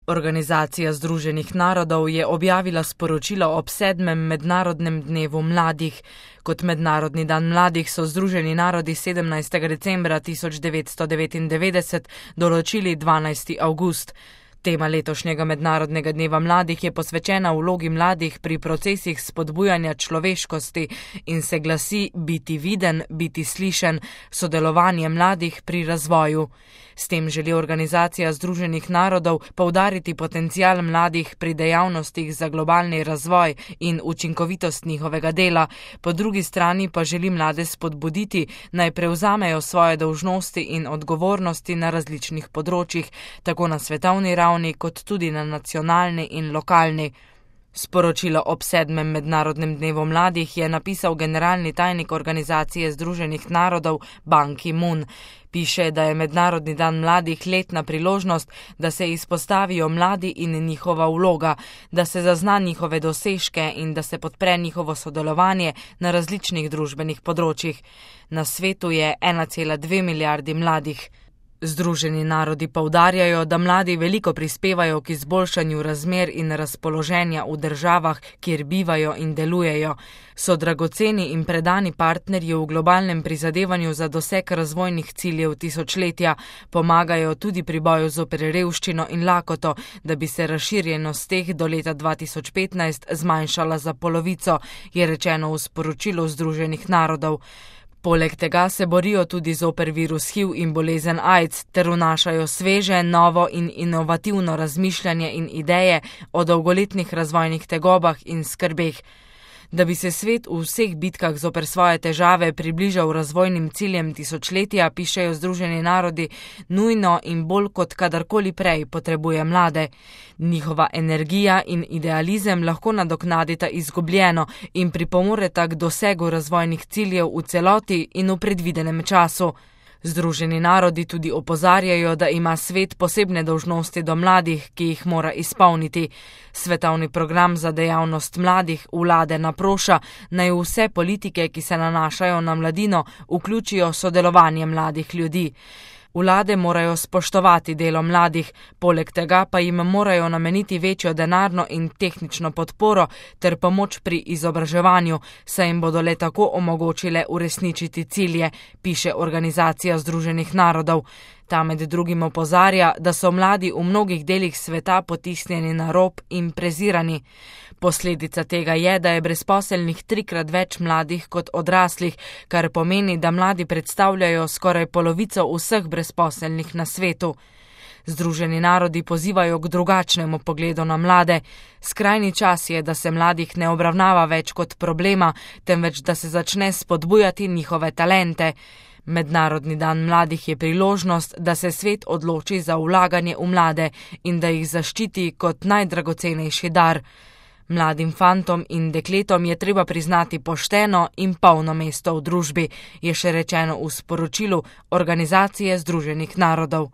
Organizacija Združenih narodov je objavila sporočilo ob 7. mednarodnem dnevu mladih. Kot mednarodni dan mladih so Združeni narodi 17. decembra 1999 določili 12. avgust. Tema letošnjega mednarodnega dneva mladih je posvečena vlogi mladih pri procesih spodbujanja človeškosti in se glasi biti viden, biti slišen, sodelovanje mladih pri razvoju. S tem želi Organizacija Združenih narodov poudariti potencial mladih pri dejavnostih za globalni razvoj in učinkovitost njihovega dela, po drugi strani pa želi mlade spodbuditi, naj prevzamejo svoje dolžnosti in odgovornosti na različnih področjih, tako na svetovni ravni kot tudi na nacionalni in lokalni. Sporočilo ob 7. mednarodnem dnevu mladih je napisal generalni tajnik Organizacije Združenih narodov Ban Ki-moon. Piše, da je Mednarodni dan mladih letna priložnost, da se izpostavijo mladi in njihova vloga, da se zazna njihove dosežke in da se podpre njihovo sodelovanje na različnih družbenih področjih. Na svetu je 1,2 milijardi mladih. Združeni narodi poudarjajo, da mladi veliko prispevajo k izboljšanju razmer in razpoloženja v državah, kjer bivajo in delujejo. So dragoceni in predani partnerji v globalnem prizadevanju za doseg razvojnih ciljev tisočletja, pomagajo tudi pri boju zoper revščino in lakoto, da bi se razširjenost teh do leta 2015 zmanjšala za polovico, je rečeno v sporočilu Združenih narodov. Poleg tega se borijo tudi zoper virus HIV in bolezen AIDS ter vnašajo sveže, novo in inovativno razmišljanje in ideje o dolgoletnih razvojnih tegobah in skrbeh. Da bi se svet v vseh bitkah zoper svoje težave približal razvojnim ciljem tisočletja, pišejo Združeni narodi, nujno in bolj kot kadarkoli prej potrebuje mlade. Njihova energija in idealizem lahko nadoknadita izgubljeno in pripomoreta k dosegu razvojnih ciljev v celoti in v predvidenem času. Združeni narodi tudi opozarjajo, da ima svet posebne dolžnosti do mladih, ki jih mora izpolniti. Svetovni program za dejavnost mladih vlade naproša, naj vse politike, ki se nanašajo na mladino, vključijo sodelovanje mladih ljudi. Vlade morajo spoštovati delo mladih, poleg tega pa jim morajo nameniti večjo denarno in tehnično podporo ter pomoč pri izobraževanju, saj jim bodo le tako omogočile uresničiti cilje, piše Organizacija Združenih narodov. Ta med drugim opozarja, da so mladi v mnogih delih sveta potisnjeni na rob in prezirani. Posledica tega je, da je brezposelnih 3-krat več mladih kot odraslih, kar pomeni, da mladi predstavljajo skoraj polovico vseh brezposelnih na svetu. Združeni narodi pozivajo k drugačnemu pogledu na mlade. Skrajni čas je, da se mladih ne obravnava več kot problema, temveč da se začne spodbujati njihove talente. Mednarodni dan mladih je priložnost, da se svet odloči za vlaganje v mlade in da jih zaščiti kot najdragocenejši dar. Mladim fantom in dekletom je treba priznati pošteno in polno mesto v družbi, je še rečeno v sporočilu Organizacije Združenih narodov.